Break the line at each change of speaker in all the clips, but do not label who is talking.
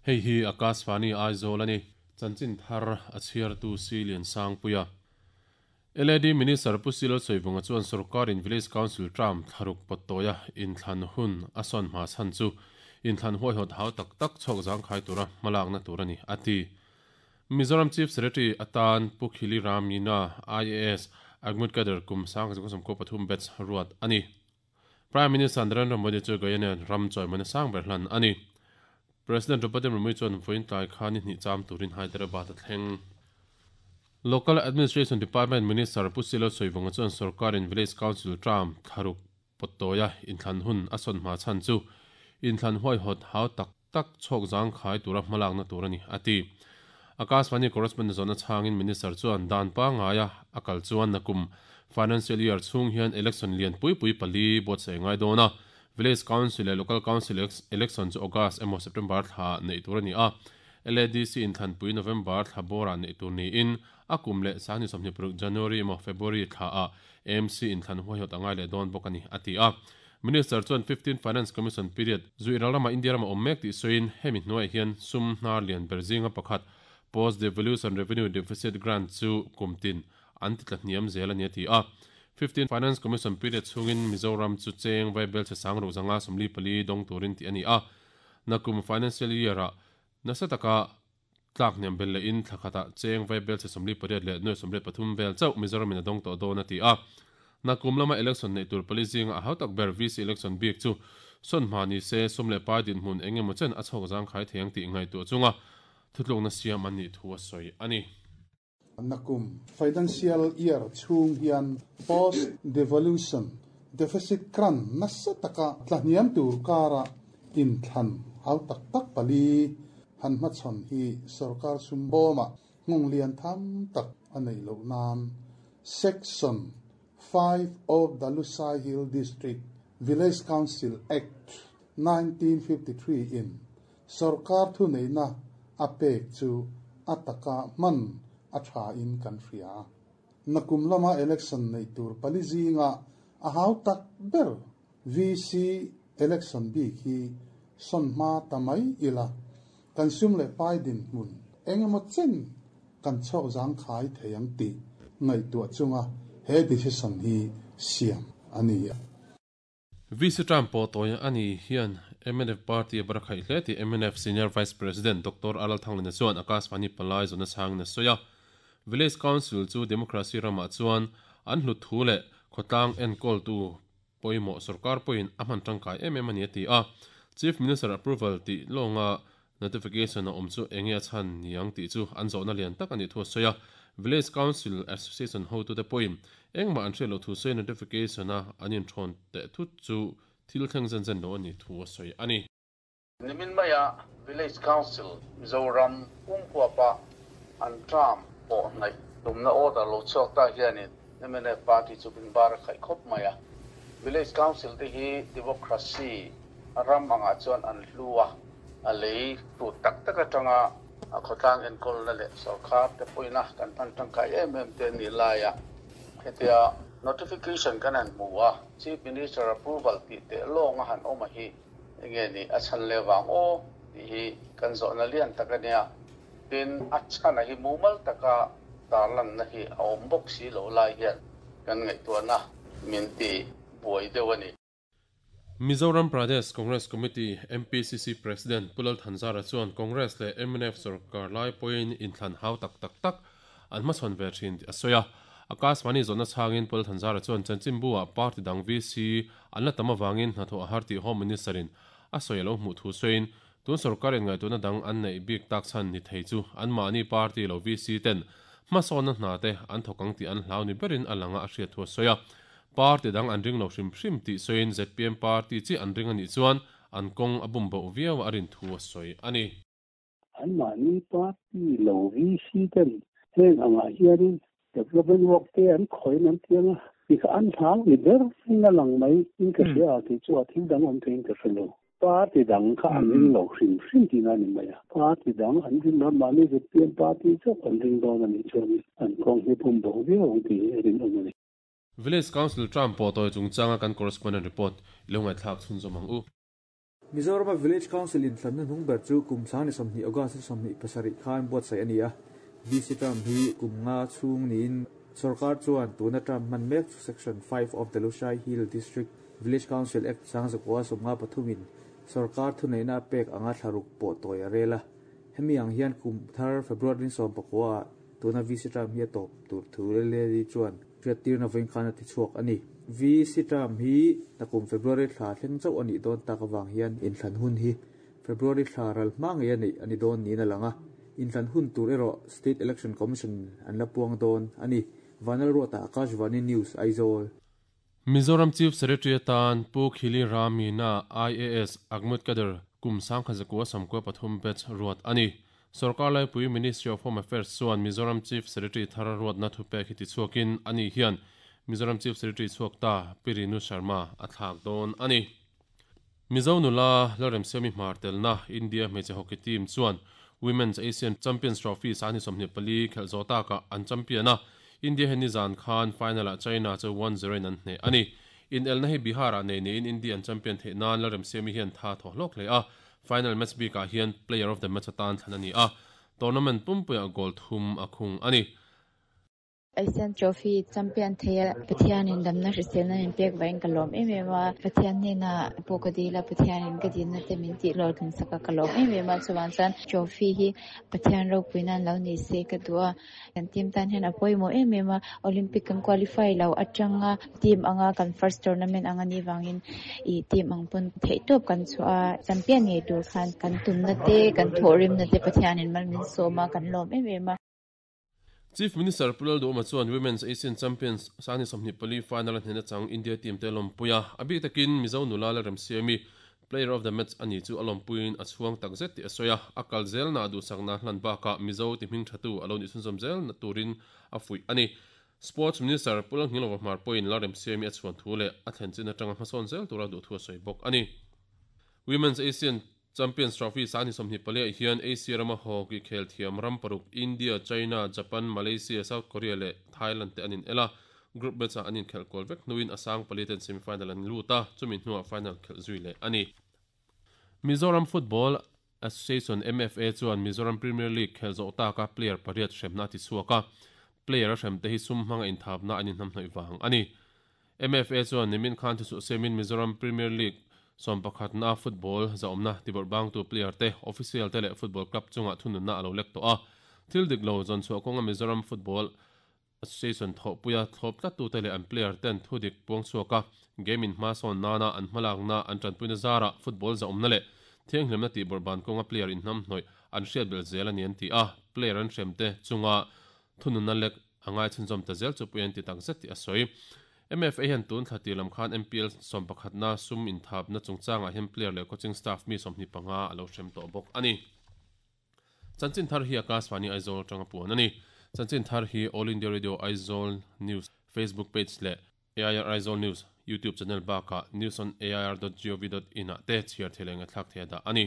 Hei hi Akashvani Aizawl a ni. Chanchin thar a chhiartu Si Liansangpuia. LAD Minister Pu Silo Sawivunga chuan sorkarin Village Council term thlaruk pawt tawia inthlan hun a sawn hma chhan chu inthlan huaihawt hau tak tak chhawk zangkhai tura hmalakna tur a ni, a ti. Mizoram Chief Secretary atan Pu Khili Ram Meena, IAS, Agmut Cadre kum 1993 batch ruat a ni. Prime Minister Narendra Modi chu Guyana ram chawimawina sang ber hlan a ni. President Draupadi Murmu chuan vawiin tlai kha ni hnih cham turin Hyderabad a thleng. Local Administration Department Minister Pu Silo Sawivunga chuan sorkarin Village Council term thlaruk pawt tawia inthlan hun a sawn hma chhan chu inthlan huaihawt hau tak tak chhawk zangkhai tura hmalakna tur a ni, a ti. Akashvani correspondent zawhna chhangin Minister chuan dan pangaia a kal chuan nakum Financial Year chhung hian election lian pui pui pali buatsaih ngai dawn a, Village Council leh Local Council election chu August emaw September thla neih tur a ni a, LADC inthlanpui November thla bawrah neih tur niin a kum leh 2026 January emaw February thlaah AMC inthlan huaihawt a ngai leh dawn bawk a ni, a ti a. Minister chuan Fifteenth Finance Commission period zuih ral ramah India ramah awm mek tih sawiin hemi hnuaiah hian sum hnar lian ber zinga pakhat Post Devolution Revenue Deficit Grant chu kum tin an ti tla hniam zel a ni a ti a. Fifteenth Finance Commission period chhungin Mizoram chu cheng vaibel chhe sang ruh zanga 44 dawng turin tih a ni a. Nakum Financial Year-ah nasa taka Tlak hniam bel lehin thla khatah cheng vaibel chhe 48 leh nuai 83 vel chauh Mizoramin a dawng tawh dawn a ti a. Nakum lama election neih tur pali zinga a hau tak ber VC election bik chu sawn hma ni se sum leh pai dinhmun eng emaw chen a chhawk zangkhai thei ang tih ngaihtuah chunga thutlukna siam an nih thu a sawi a ni.
Nakum financial year chhung hian post devolution deficit grant nasa taka tlahniam tur kara inthlan hau tak tak pali han hmachhawn hi sorkar sum bawmah nghawng lian tham tak a neih loh nan Section 5 of the Lushai Hill District Village Council Act, 1953 in Sorkar thuneihna a pek chu a taka hman a tha in kan hria. Nakum lama election neih tur pali zinga a hau tak ber VC election bik hi sawn hma ta mai ila, kan sum leh pai dinhmun eng emaw chen kan chhawk zangkhai thei ang tih ngaihtuah chunga he decision hi siam a ni.
VC Trump pawh tawi a ni hian mnf party a bar khaih hle tih mnf Senior Vice President Doctor Aral Thanglina chuan Akashvani palai zawhna chhangin a sawi a. Village Council chu democracy ramah chuan an hlut thu leh khawtlang enkawltu pawimawh sorkar pawhin a hman tangkai em em a ni a ti a. Chief Minister approval tih lawnga Notification a awm chu enge a chhan niang tih chu an zawhna lian tak a nih thu a sawi a. Village Council Association hotute pawhin engmah an hriat loh thu sawi notification a an inthawn teh thut chu thil thleng zen zen lo a nih thu a sawi a ni.
Nimin maia Village Council Mizoram pumhuapa an term pawh hnaih tumna order lo chhuak ta hianin mnf party chu min bar a khaih khawp mai a. Village Council te hi democracy ram angah chuan an hlu a, a lei tut tak tak atanga a khawtlang enkawlna leh sorkar te pawina kan hman tangkai em em te nih laia hetia notification kan han hmu a, Chief Minister approval tih teh lawng a han awm a hi enge ni a chhan leh vang aw tih hi kan zawhna lian tak a nia. Tin, a chhana hi mumal taka tarlanna hi a awm bawk si loh lai hian kan ngaihtuahna min ti buai deuh a ni.
Mizoram Pradesh Congress Committee, MPCC, President Pu Lal Thanzara chuan Congress leh mnf sorkar lai pawhin inthlan hau tak tak tak an hmachhawn ve thin tih a sawi a. Akashvani zawhna chhangin Pu Lal Thanzara chuan chanchinbu-ah party dang VC an la tam avangin hnathawh a har tih Home Minister-in a sawi a lo hmuh thu sawiin tun sorkarin ngaihtuahna dang an neih bik tak chhan ni thei chu anmahni party lo VC ten hmasawnna hna te an thawk ang tih an hlau ni berin a lang a a hriat thu a sawi a. Party dang an ring lo hrim hrim tih sawiin zpm party chiah an ring a nih chuan an kawng a bum boh viau a rin thu a sawi a ni.
Anmahni party lo VC ten heng angah hianin development work te an khawiin an tiang a, ti kha an hlau ni ber in a lang mai in ka hria a tih chu a thil dang awm theiin ka hre lo. Party dang kha an ring lo hrim hrim tihna a ni mai a. Party dang an ring lo, mahni zpm party chauh an ring dawn a nih chuan an kawng hi pum bo viau ang tih hi a rinawm a ni.
Village Council term pawh tawi chungchanga kan correspondent report i lo ngaihthlak chhunzawm ang u.
Mizorama Village Council inthlanna hnung ber chu kum 2020 August 27 khan buatsaih a ni a. VC term hi kum nga chhung niin sorkar chuan tuna term hman mek chu Section 5 of the Lushai Hill District Village Council Act 1953 in sorkar thuneihna a pek anga thlaruk pawh tawi a rel a. Hemi ang hian kum thar February 19 ah tuna VC term hi a tawp tur thu LAD chuan hriattirna vawiin khan a ti chhuak a ni. VC term hi nakum February thla thleng chauh a nih dawn tak avang hian inthlan hun hi February thla ral hma ngei a neih a ni dawn niin a lang a. Inthlan hun tur erawh State Election Commission an la puang dawn a ni. Vanlalruata, Akashvani News, Aizawl.
Mizoram Chief Secretary atan Pu Khili Ramina, IAS, Agmut Kader, kum 1993 batch ruat a ni. Sorkar laipui Ministry of Home Affairs chuan Mizoram Chief Secretary thar ruatna thupek hi tichhuakin ani hian Mizoram Chief Secretary chhuak ta Pi Rinu Sharma a thlak dawn a ni. Mizo nula Lalremsiami hmar telna India hmeichhe hockey team chuan Women's Asian Champions Trophy 24 khelh zawh takah an champion a, India hian nizan khan final-ah China chu 1-0 in an hneh a ni. Inelna hi Bihar-ah nei niin India an champion theih nan Lalremsiami hian tha thaw hlawk hle a, final match bikah hian player of the match atan thlan a ni a, tournament pumpuiah goal thum a khung a ni.
Asian Trophy champion thei a, Pathianin damna hriselna min pek vangin ka lawm em em a, Pathian hnenah pawh ka dil a, Pathianin ka dilna te min tih hlawhtlin sak a, ka lawm em em a, chuvang chuan trophy hi Pathian ropui nan lo ni se ka duh a, kan team tan hian a pawimawh em em a, Olympic kan qualify lo atanga team anga kan first tournament anga nih vangin ih team ang pawn theihtawp kan chhuah a, champion ngei tur khan kan tumna te kan thawhrimna te Pathianin mal min sawm a, kan lawm em em a.
Chief Minister Pu Lalduhoma chuan Women's Asian Champions 24 final a hnena chang India team te a lawmpui a, a bik takin Mizo nula Lalremsiami Player of the Match a ni chu a lawmpuiin a chhuang takzet tih a sawi a, a kal zelna duhsakna hlan bakah Mizo ti hming thatu a lo nih chhunzawm zel turin a fuih a ni. Sports Minister Pu Lalngilova Hmar pawhin Lalremsiami a chhuan thu leh a thlen chin atanga hmasawn zel tura duhthu a sawi bawk a ni. Women's Asian Champions Trophy 24 ah hian Asia rama hockey khel thiam ram paruk India, China, Japan, Malaysia, South Korea leh Thailand te an inel a, group match ah an inkhelh kual vek hnuin a sang pali ten semi-final an lut a, chumi hnuah final khelh zui leh a ni. Mizoram Football Association, MFA, chuan Mizoram Premier League khelh zawh taka player pariat hremna a ti chhuak a, player a hrem te hi sum hmanga inthapna an inhnamhnawih vang a ni. MFA chuan nimin khan thusuh siamin Mizoram Premier League sawmpakhatna football zahawmna tibawrh bangtu player te, official te leh football club chungah thununna a lo lek tawh a. Thil dik lo zawn chhuah kawnga Mizoram Football Association thawhpuia thlawp tlattute leh an player ten thu dik puang chhuak a, game in hma sawn nana an hmalakna an tanpuina zarah football zahawmna leh thianghlimna tihbawrh ban kawnga player inhnamhnawih an hriat belh zel a ni an ti a, player an hremte chunga thununna lek a ngai chhunzawm ta zel chu pui an ti tak zet tih a sawi. MFA hian tun thla tir lam khan MPL sawmpakhatna sum inthapna chungchangah hian player leh coaching staff mi 25 a lo hrem tawh bawk a ni. Chanchin thar hi Akashvani Aizawl atanga puan a ni. Chanchin thar hi All India Radio Aizawl News Facebook page leh AIR Aizawl News YouTube channel bakah newsonair.gov.in ah te chhiar thei leh ngaihthlak thei a dah a ni.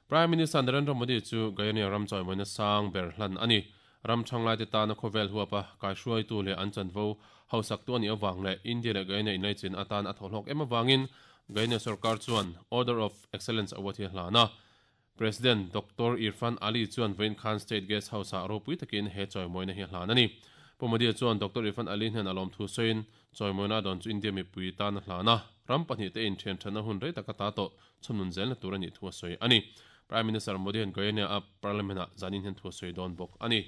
Prime Minister Narendra Modi chu Guyana ram chawimawina sang ber hlan a ni. Ram thanglaite tana khawvel huapa kaihruaitu leh an chanvo hausaktu a nih avang leh India leh Guyana inlaichin atan a thawhhlawk em avangin Guyana sorkar chuan Order of Excellence Award hi a hlan a. President Doctor Irfaan Ali chuan vawiin khan State Guest House-ah ropui takin he chawimawina hi a hlan a ni. Pu Modi chuan Doctor Irfaan Ali hnen a lawmthu sawiin chawimawina a dawn chu India mipui tan a hlan a, ram pahnihte inthianthatna hun rei taka ta tawh chhunun zelna tur a nih thu a sawi a ni. Prime Minister Modi hian Guyana a Parliament ah zanin hian thu a sawi dawn bawk a ni.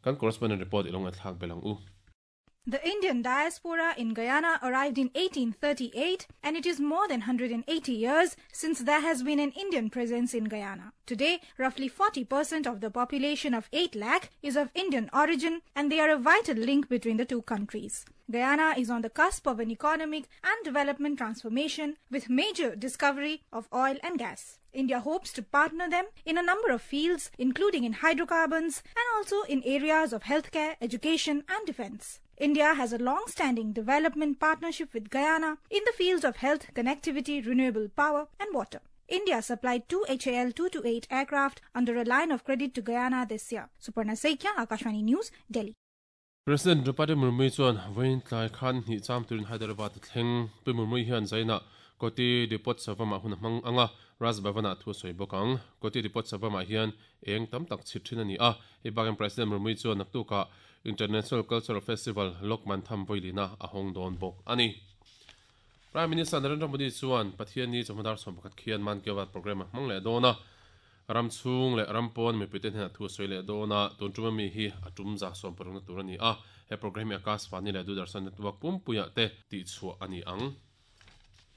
Kan correspondent report i lo ngaihthlak belh ang u.
The Indian diaspora in Guyana arrived in 1838 and it is more than 180 years since there has been an Indian presence in Guyana. Today, roughly 40% of the population of 8 lakh is of Indian origin and they are a vital link between the two countries. Guyana is on the cusp of an economic and development transformation with major discovery of oil and gas. India hopes to partner them in a number of fields, including in hydrocarbons and also in areas of healthcare, education and defense. India has a long-standing development partnership with Guyana in the fields of health, connectivity, renewable power and water. India supplied two HAL 228 aircraft under a line of credit to Guyana this year. Suparna Saikia, Akashvani News, Delhi.
President Draupadi Murmu chuan vawiin tlai khan hnih cham turin Hyderabad a thleng. Pu Murmu hian Zaina Koti Deepotsavam-ah hun a hmang ang a, Raj Bhavan-ah thu a sawi bawk ang. Koti Deepotsavam-ah hian eng tam tak chhit thin a ni a, hei bakin President Murmu chuan naktukah International Cultural Festival Lok Mantham Vawilina a hawng dawn bawk a ni. Prime Minister Narendra Modi chuan Pathianni chawhma dar 11 khian Mann Ki Baat programme a hmang leh dawn a, ram chhung leh ram pawn mipuite hnenah thu a sawi leh dawn a, tun tum ami hi a tum za sawmparukna tur a ni a, he programme hi Akashvani leh Doordarshan network pumpuiah te tihchhuah a ni ang.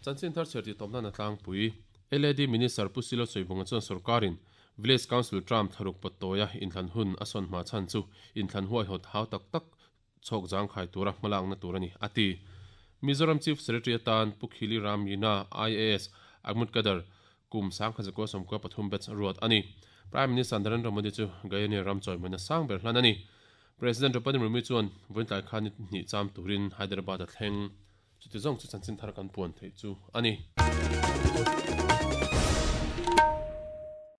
Chanchin thar chhiar tih tawp nan a tlangpui. LAD Minister Pu Silo Sawivunga chuan sorkarin Village Council term thlaruk pawt tawia inthlan hun a sawn hma chhan chu inthlan huaihawt hau tak tak chhawk zangkhai tura hmalakna tur a ni, a ti. Mizoram Chief Secretary atan Pu Khili Ram Yina, IAS, Ahmud Kader, kum 1993 batch ruat a ni. Prime Minister Narendra Modi chu Guyana ram chawimawina sang ber hlan a ni. President Draupadi Murmu chuan vawiintlai khan ni hnih cham turin Hyderabad a thleng. Chuti zawng chu chanchin thar kan puan theih chu a ni.